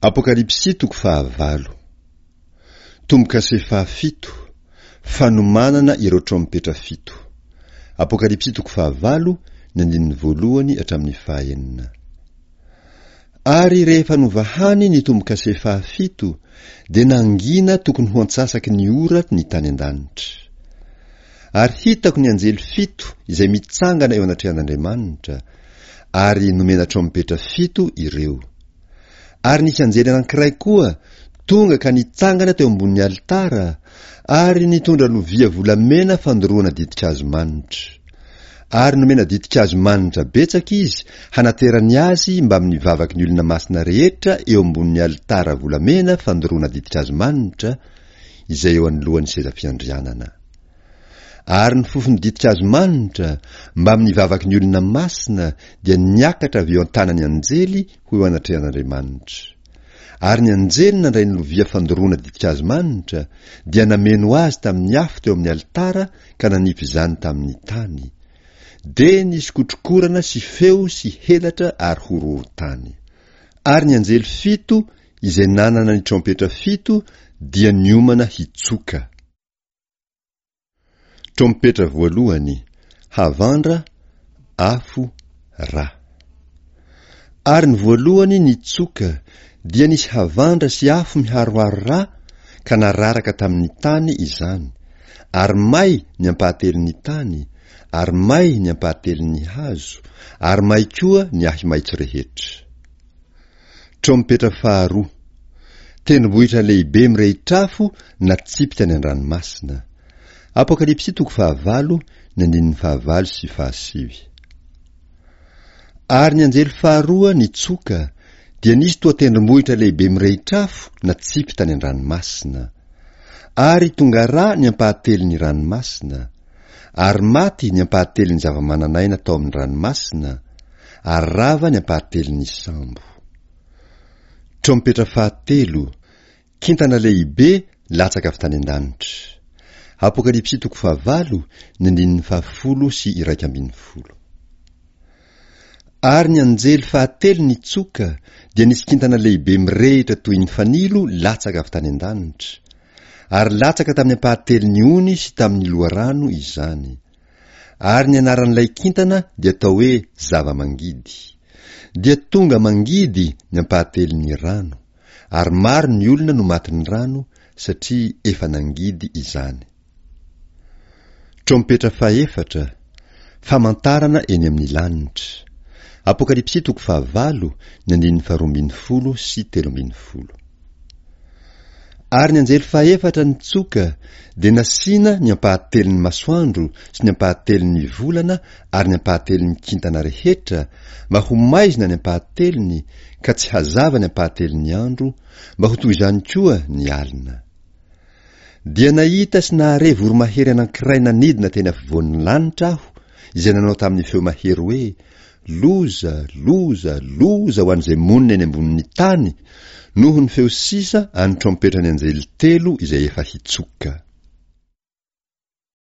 Apokalypsy toko fahavalo. Tombo-kase fahafito, Fanomanana ireo trompetra fito. Apokalypsy toko fahavalo, ny andininy voalohany hatramin'ny fahaenina. Ary rehefa novahany ny tombo-kase fahafito, dia nangina tokony ho antsasaky ny ora ny tany an-danitra. Ary hitako ny anjely fito izay mitsangana eo anatrehan'Andriamanitra, ary nomena trompetra fito ireo. Ary nisy anjely anankiray koa tonga ka nitsangana teo ambonin'ny alitara, ary nitondra lovia volamena fandoroana ditin-kazo manitra. Ary nomena ditin-kazo manitra betsaka izy hanaterany azy mbamin'ny vavaky ny olona masina rehetra eo ambonin'ny alitara volamena fandoroana ditin-kazo manitra, izay eo anoloan'ny seza fiandrianana. Ary ny fofon'ny ditin-kazo manitra, mbamin'ny vavaky ny olona masina, dia niakatra avy eo an-tanan'ny anjely ho eo anatrehan'Andriamanitra. Ary ny anjely nandray ny lovia fandoroana ditin-kazo manitra, dia nameno azy tamin'ny afo teo amin'ny alitara ka nanipy izany tamin'ny tany. Dia nisy kotrokorana sy feo sy helatra ary horohorontany. Ary ny anjely fito izay nanana ny trompetra fito dia niomana hitsoka. Trompetra voalohany, havandra, afo, ra. Ary ny voalohany nitsoka, dia nisy havandra sy afo miharoharo ra ka nararaka tamin'ny tany izany, ary may ny ampahatelon'ny tany, ary may ny ampahatelon'ny hazo, ary may koa ny ahi-maitso rehetra. Trompetra faharoa. Tendrombohitra lehibe mirehitr'afo natsipy tany an-dranomasina. Apokalypsy toko fahavalo, ny andininy fahavalo sy fahasivy. Ary ny anjely faharoa nitsoka, dia nisy toa tendrombohitra lehibe mirehitr'afo natsipy tany an-dranomasina. Ary tonga rà ny ampahatelon'ny ranomasina, ary maty ny ampahatelon'ny zava-manan'aina tao amin'ny ranomasina, ary rava ny ampahatelon'ny sambo. Trompetra fahatelo, kintana lehibe latsaka avy tany an-danitra. Apokalypsy toko fahavalo, ny andininy fahafolo sy 11. Ary ny anjely fahatelo nitsoka, dia nisy kintana lehibe mirehitra toy ny fanilo latsaka avy tany an-danitra, ary latsaka tamin'ny ampahatelon'ny ony sy tamin'ny loharano izany. Ary ny anaran'ilay kintana dia atao hoe Zava-mangidy. Dia tonga mangidy ny ampahatelon'ny rano, ary maro ny olona no matin'ny rano, satria efa nangidy izany. Trompetra fahefatra, famantarana eny amin'ny lanitra. Apokalypsy toko fahavalo, ny andininy faharoa ambin'ny folo sy 13. Ary ny anjely fahefatra nitsoka, dia nasiana ny ampahatelon'ny masoandro sy ny ampahatelon'ny volana ary ny ampahatelon'ny kintana rehetra, mba ho maizina ny ampahatelony, ka tsy hazava ny ampahatelon'ny andro, mba ho toy izany koa ny alina. Dia nahita sy nahare voromahery anankiray nanidina teny afovoan'ny lanitra aho, izay nanao tamin'ny feo mahery hoe, Loza, loza, loza ho an'izay monina eny ambonin'ny tany, noho ny feo sisa an'ny trompetran'ny anjely telo izay efa hitsoka.